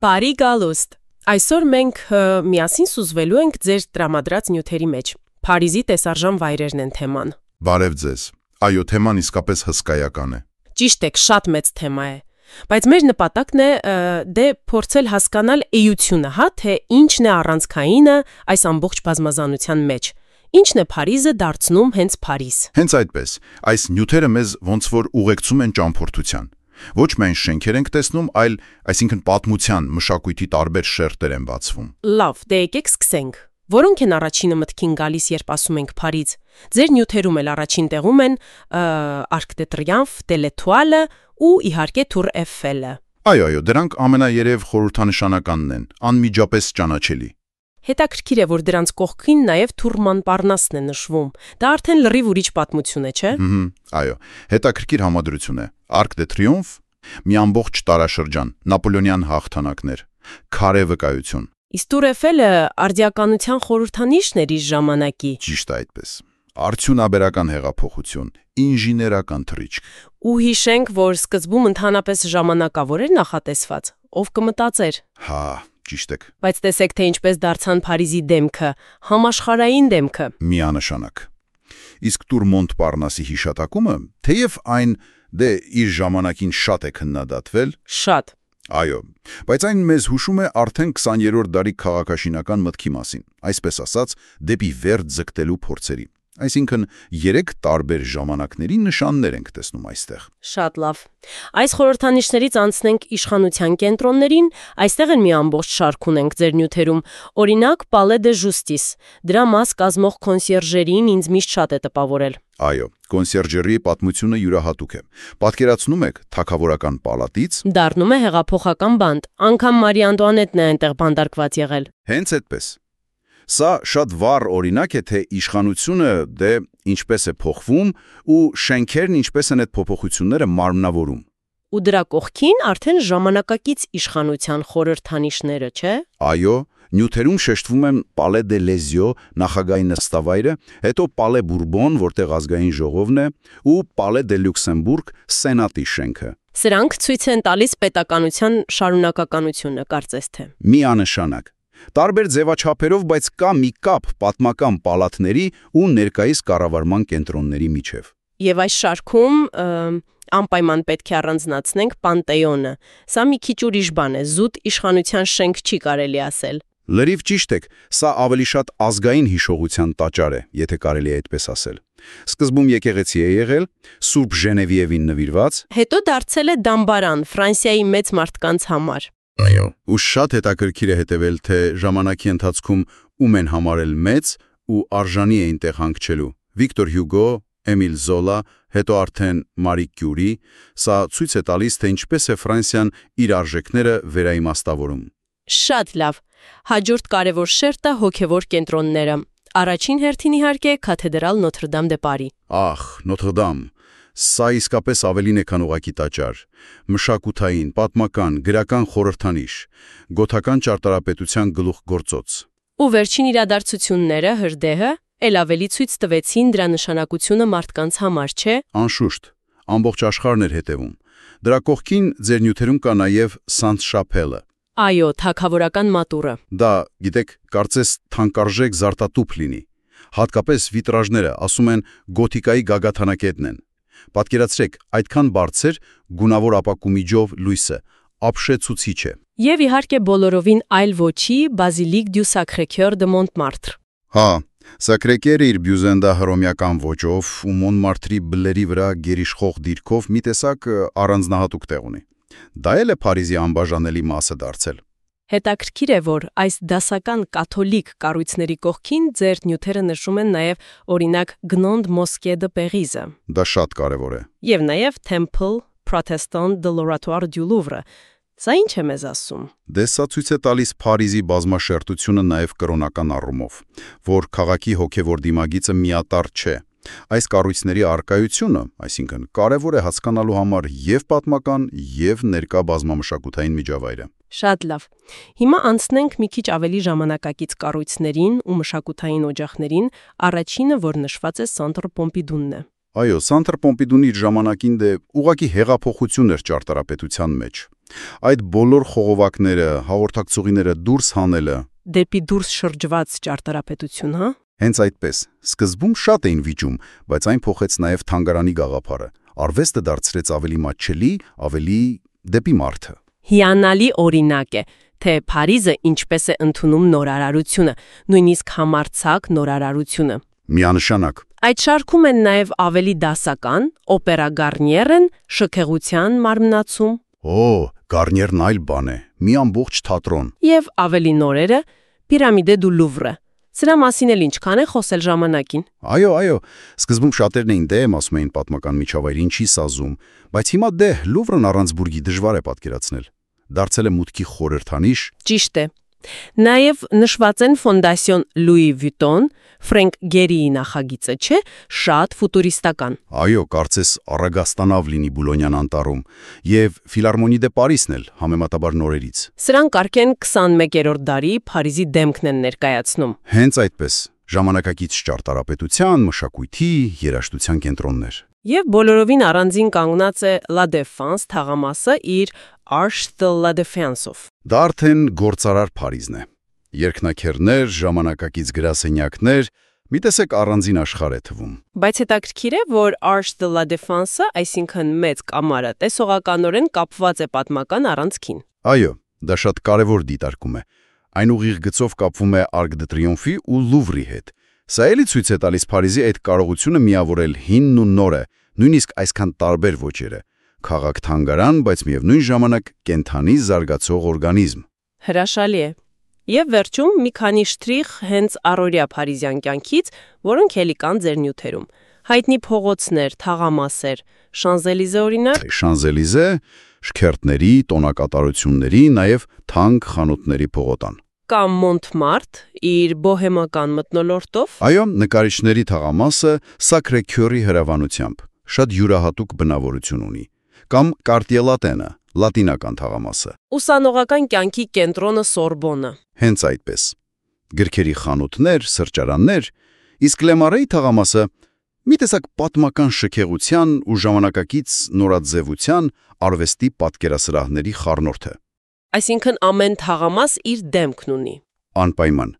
Բարի գալուստ։ Այսօր մենք միասին սուզվելու ենք ձեր տրամադրած նյութերի մեջ։ Փարիզի տեսարժան վայրերն են թեման։ Բարև ձեզ։ Այո, թեման իսկապես հսկայական է։ Ճիշտ եք, շատ մեծ թեմա է։ Բայց մեր նպատակն է փորձել հասկանալ էությունը, թե ինչն է առանցքայինը այս ամբողջ բազմազանության մեջ։ Ինչն է Փարիզը դարձնում հենց Փարիզ։ Հենց այդպես, այս նյութերը մեզ ոնց որ ուղեկցում են ճամփորդության։ Ոչ միայն շենքեր ենք տեսնում, այլ այսինքն պատմության, մշակույթի տարբեր շերտեր են բացվում։ Լավ, դե եկեք սկսենք։ Որոնք են առաջինը մտքին գալիս, երբ ասում ենք Փարիզ։ Ձեր նյութերում էլ առաջին տեղում են Arc de Triomphe, L'Étoile ու իհարկե Tour Eiffel-ը։ Այո, դրանք ամենաերև խորհրդանշանականն են, անմիջապես ճանաչելի։ Հետաքրքիր է, որ դրանց կողքին նաև Tour Montparnasse-ն է նշվում։ Դա արդեն լրիվ ուրիշ պատմություն է, չէ՞։ Այո, հետաքրքիր համադրություն է։ Arc de Triomphe մի ամբողջ տարաշրջան, նապոլեոնյան հաղթանակներ, քարե վկայություն։ Իսկ Tour Eiffel-ը արդիականության խորհրդանիշն էր իր ժամանակի։ Ճիշտ է այդպես։ Արդյունաբերական հեղափոխություն, ինժեներական թռիչք։ Ու հիշենք, որ սկզբում ընդհանրապես ժամանակավոր էր նախատեսված։ Ով կմտածեր։ Հա, ճիշտ եք։ Բայց տեսեք, թե ինչպես դարձան Փարիզի դեմքը, համաշխարհային դեմքը։ Միանշանակ։ Իսկ Tour Montparnasse-ի հիշատակումը, թեև այն իր ժամանակին շատ է քննադատվել։ Շատ։ Այո, բայց այն մեզ հուշում է արդեն 20-րդ դարի քաղաքաշինական մտքի մասին, այսպես ասած, դեպի վերջ ձգտելու փորձերի։ Այսինքն, 3 տարբեր ժամանակների նշաններ ենք տեսնում այստեղ։ Շատ լավ։ Այս խորհրդանիշներից անցնենք իշխանության կենտրոններին, այստեղ են մի ամբողջ շարք ունենք ձեր նյութերում։ Օրինակ, Palais de Justice։ Դրա մաս կազմող կոնսիերժերին ինձ միշտ շատ է տպավորել։ Այո, կոնսիերժերի պատմությունը յուրահատուկ է։ Պատկերացնում եք թագավորական պալատից դառնում է հեղափոխական բանտ, անգամ Մարի Անտուանետն է այնտեղ բանտարկված եղել։ Հենց այդպես։ Սա շատ վառ օրինակ է, թե իշխանությունը ինչպես է փոխվում ու շենքերն ինչպես են այդ փոփոխությունները մարմնավորում։ Ու դրա կողքին արդեն ժամանակակից իշխանության խորհրդանիշները, չէ՞։ Այո, նյութերում շեշտվում են Palais de Lezio նախագահի նստավայրը, հետո Palais Bourbon, որտեղ ազգային ժողովն է, ու Palais de Luxembourg սենատի շենքը։ Սրանք ցույց են տալիս պետականության շարունակականությունը, կարծես թե։ Միանշանակ։ Տարբեր ձևաչափերով, բայց կա մի կապ պատմական պալատների ու ներկայիս կառավարման կենտրոնների միջև։ Եվ այս շարքում անպայման պետք է առանձնացնենք Պանտեոնը։ Սա մի քիչ ուրիշ բան է, զուտ իշխանության շենք չի կարելի ասել։ Լրիվ ճիշտ եք, սա ավելի շատ ազգային հիշողության տաճար է, եթե կարելի է այդպես ասել։ Սկզբում եկեղեցի է եղել, Սուրբ Ժենևիևին նվիրված, հետո դարձել է դամբարան Ֆրանսիայի մեծ մարդկանց համար։ Այո, ու շատ հետաքրքիր է հետևել, թե ժամանակի ընթացքում ում են համարել մեծ ու արժանի էին տեղ հանգչելու։ Վիկտոր Հյուգո, Էմիլ Զոլա, հետո արդեն Մարի Կյուրի, սա ցույց է տալիս, թե ինչպես է Ֆրանսիան իր արժեքները վերաիմաստավորում։ Շատ լավ։ Հաջորդ կարևոր շերտը հոգևոր կենտրոնները։ Առաջին հերթին իհարկե Կաթեդրալ Նոթր Դամ դե Պարի։ Ահ, Նոթր Դամ։ Սա իսկապես ավելին է, քան ուղղակի տաճար։ Մշակութային, պատմական, գրական խորհրդանիշ, գոթական ճարտարապետության գլուխգործոց։ Ու վերջին իրադարձությունները, հրդեհը, ել ավելի ցույց տվեցին դրա նշանակությունը մարդկանց համար, չէ՞։ Անշուշտ, ամբողջ աշխարհն էր հետևում։ Դրա կողքին ձեր նյութերում կա նաև Saint-Chapelle-ը։ Այո, թագավորական մատուրը։ Դա, գիտեք, կարծես թանկարժեք զարտատուփ լինի։ Հատկապես վիտրաժները, ասում են, գոթիկայի գագաթանակետն են։ Պատկերացրեք, այդքան բարձր գունավոր ապակումիջով լույսը, ապշեցուցիչ է։ Եվ իհարկե բոլորովին այլ ոչի Basilique du Sacré-Cœur de Montmartre։ Հա, Սակրեկերը իր բյուզենդա հռոմեական ոճով ու Մոնմարտրի բլերի վրա գերիշխող դիրքով մի տեսակ առանձնահատուկ տեղ ունի։ Դա էլ է Փարիզի անբաժանելի մասը դարձել։ Հետաքրքիր է, որ այս դասական կաթոլիկ կառույցների կողքին ձեր նյութերը նշում են նաև օրինակ Grande Mosquée de Paris-ը։ Դա շատ կարևոր է։ Եվ նաև Temple Protestant de l'Oratoire du Louvre։ Սա ինչ է մեզ ասում։ Դե սա ցույց է տալիս Փարիզի բազմաշերտությունը նաև կրոնական առումով, որ քաղաքի հոգևոր դիմագիծը միատարր չէ։ Այս կառույցների առկայությունը, այսինքն, կարևոր է հասկանալու համար եւ պատմական, եւ ներկա բազմամշակութային միջավայրը։ Շատ լավ։ Հիմա անցնենք մի քիչ ավելի ժամանակակից կառույցներին ու մշակութային օջախներին, առաջինը, որ նշված է Centre Pompidou-ն է։ Այո, Սանտր Պոմպիդուն իր ժամանակին ուղղակի հեղափոխություն էր ճարտարապետության մեջ։ Այդ բոլոր խողովակները, հաղորդակցուղիները դուրս հանելը։ Դեպի դուրս շրջված ճարտարապետություն, հա։ Հենց այդպես։ Սկզբում շատ էին վիճում, բայց այն փոխեց նաև թանգարանի գաղափարը։ Արվեստը դարձրեց ավելի մատչելի, ավելի դեպի մարդը։ Հիանալի օրինակ է, թե Փարիզը ինչպես է ընդունում նորարարությունը, նույնիսկ համարձակ նորարարությունը։ Միանշանակ։ Այդ շարքում են նաև ավելի դասական, օպերա Գարնիերն, շքեղության մարմնացում։ Գարնիերն այլ բան է, մի ամբողջ թատրոն։ Եվ ավելի նորերը՝ Պիրամիդե դու Լուվրը։ Սրա մասին էլ ինչքան է խոսել ժամանակին։ Այո, սկզբում շատերն էին դեմ, ասում էին պատմական միջավայրին չի սազում, բայց հիմա Լուվրն առանց բուրգի դժվար է պատկերացնել։ Դարձել է մուտքի խորհրդանիշ։ Ճիշտ է։ Նաև նշված են Ֆոնդասիոն Լուի Վյուտոն, Ֆրենկ Գերիի նախագիծը, չէ, շատ ֆուտուրիստական։ Այո, կարծես առագաստանավ լինի Բուլոնյան անտառում, եւ Ֆիլարմոնի դե Պարիսն էլ համեմատաբար նորերից։ Սրանք արդեն 21-րդ դարի Փարիզի դեմքն են ներկայացնում։ Հենց այդպես, ժամանակակից ճարտարապետության, մշակույթի, երաժշտության կենտրոններ։ Եվ բոլորովին առանձին կանգնած է La Défense թաղամասը իր Arche de la Défense-ով։ Դա արդեն գործարար Փարիզն է։ Երկնաքերներ, ժամանակակից գրասենյակներ, մի տեսակ առանձին աշխարհ է թվում։ Բայց հետաքրքիր է, որ Arche de la Défense-ը, այսինքն մեծ կամարը, տեսողականորեն կապված է պատմական առանցքին։ Այո, դա շատ կարևոր դիտարկում է։ Այն ուղիղ գծով կապվում է Arc de Triomphe-ի ու Լուվրի հետ։ Սա էլի ցույց է տալիս Փարիզի այդ կարողությունը միավորել հինն ու նորը, նույնիսկ այսքան տարբեր ոճերը։ Քաղաք-թանգարան, բայց միևնույն ժամանակ կենթանի զարգացող օրգանիզմ։ Հրաշալի է։ Եվ վերջում մի քանի շտրիխ հենց առօրյա փարիզյան կյանքից, որոնք էլի կան ձեր նյութերում։ Հայտնի փողոցներ, թաղամասեր, Շանզելիզե օրինակ։ Շանզելիզե, շքերթների, տոնակատարությունների, նաև թանկ խանութների փողոտան։ Կամ Մոնտմարտ, իր բոհեմական մթնոլորտով։ Այո, նկարիչների թաղամասը Սակրե Քյորի հրավանությամբ շատ յուրահատուկ բնավորություն ունի։ Կամ Կարտիե-Լատենը, լատինական թաղամասը։ Ուսանողական կյանքի կենտրոնը Սորբոնը։ Հենց այդպես։ Գրքերի խանութներ, սրճարաններ, իսկ Լեմարեի թաղամասը մի տեսակ պատմական շքեղության ու ժամանակակից նորաձևության արվեստի պատկերասրահների խառնուրդ է։ Այսինքն ամեն թաղամաս իր դեմքն ունի։ Անպայման։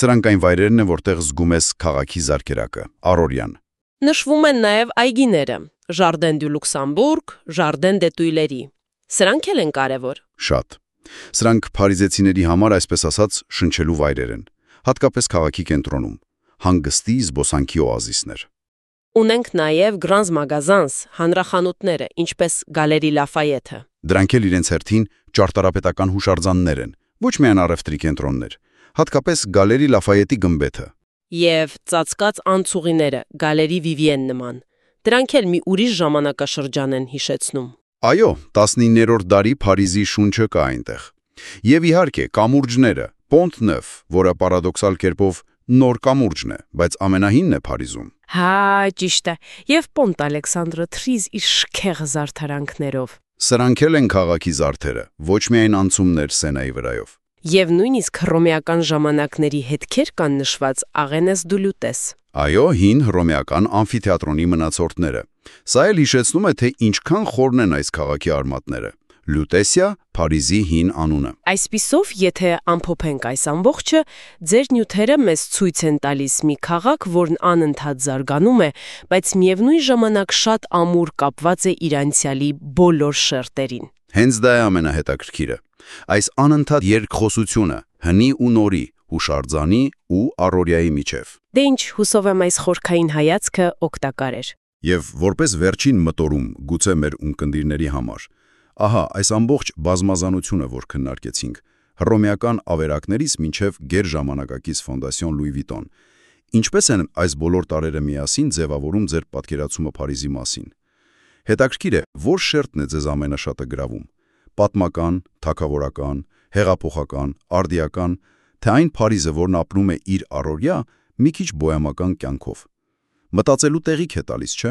Սրանք այն վայրերն են, որտեղ զգում ես քաղաքի զարկերակը, առօրյան։ Նշվում են նաև այգիները՝ Jardin du Luxembourg, Jardin des Tuileries։ Սրանք էլ են կարևոր։ Շատ։ Սրանք փարիզեցիների համար, այսպես ասած, շնչելու վայրեր են, հատկապես քաղաքի կենտրոնում, հանգստի զբոսանքի օազիսներ։ Ունենք նաև Grands Magasins, հանրախանութները, ինչպես Գալերի Լաֆայեթը։ Դրանք էլ իրենց հերթին ճարտարապետական հուշարձաններ են, ոչ միայն առևտրի կենտրոններ, հատկապես Գալերի Լաֆայետի գմբեթը։ Եվ ծածկած անցուղիները, Գալերի Վիվիեն նման։ Դրանք էլ մի ուրիշ ժամանակաշրջան են հիշեցնում։ Այո, 19-րդ դարի Փարիզի շունչը կա այնտեղ։ Եվ իհարկե, կամուրջները, Pont Neuf, որը պարադոքսալ կերպով նոր կամուրջն է, բայց ամենահինն է Փարիզում։ Հա, ճիշտ է։ Եվ Պոնտ Ալեքսանդրը Թրիզ իր շքեղ զարդարանքներով։ Սրանք էլ են քաղաքի զարդերը, ոչ միայն անցումներ Սենայի վրայով։ Եվ նույնիսկ հռոմեական ժամանակների հետքեր կան նշված Աղենես դու Լյուտես։ Այո, հին հռոմեական ամֆիթեատրոնի մնացորդները։ Սա էլ հիշեցնում է, թե ինչքան խորն են այս քաղաքի արմատները։ Լյուտեսիա, Փարիզի հին անունը։ Այսպիսով, եթե ամփոփենք այս ամբողջը, ձեր նյութերը մեզ ցույց են տալիս մի քաղաք, որն անընդհատ զարգանում է, բայց միևնույն ժամանակ շատ ամուր կապված է իր անցյալի բոլոր շերտերին։ Հենց դա է ամենահետաքրքիրը։ Այս անընդհատ երկխոսությունը հնի ու նորի, հուշարձանի ու առօրյայի միջև։ Դե ինչ, հուսով եմ այս խորքային հայացքը օգտակար էր։ Եվ որպես վերջին մտորում, գուցե մեր ունկնդիրների համար, ահա այս ամբողջ բազմազանությունը, որ քննարկեցինք, հռոմեական ավերակներից մինչև գերժամանակակից Ֆոնդասիոն Լուի Վիտոն, ինչպես են այս բոլոր տարերը միասին ձևավորում ձեր պատկերացումը Փարիզի մասին։ Հետաքրքիր է, որ շերտն է ձեզ ամենաշատը գրավում՝ պատմական, թագավորական, հեղափոխական, արդիական, թե այն Փարիզը, որն ապրում է իր առօրյա, մի քիչ բոհեմական կյանքով։ Մտածելու տեղիք է տալիս, չէ՞։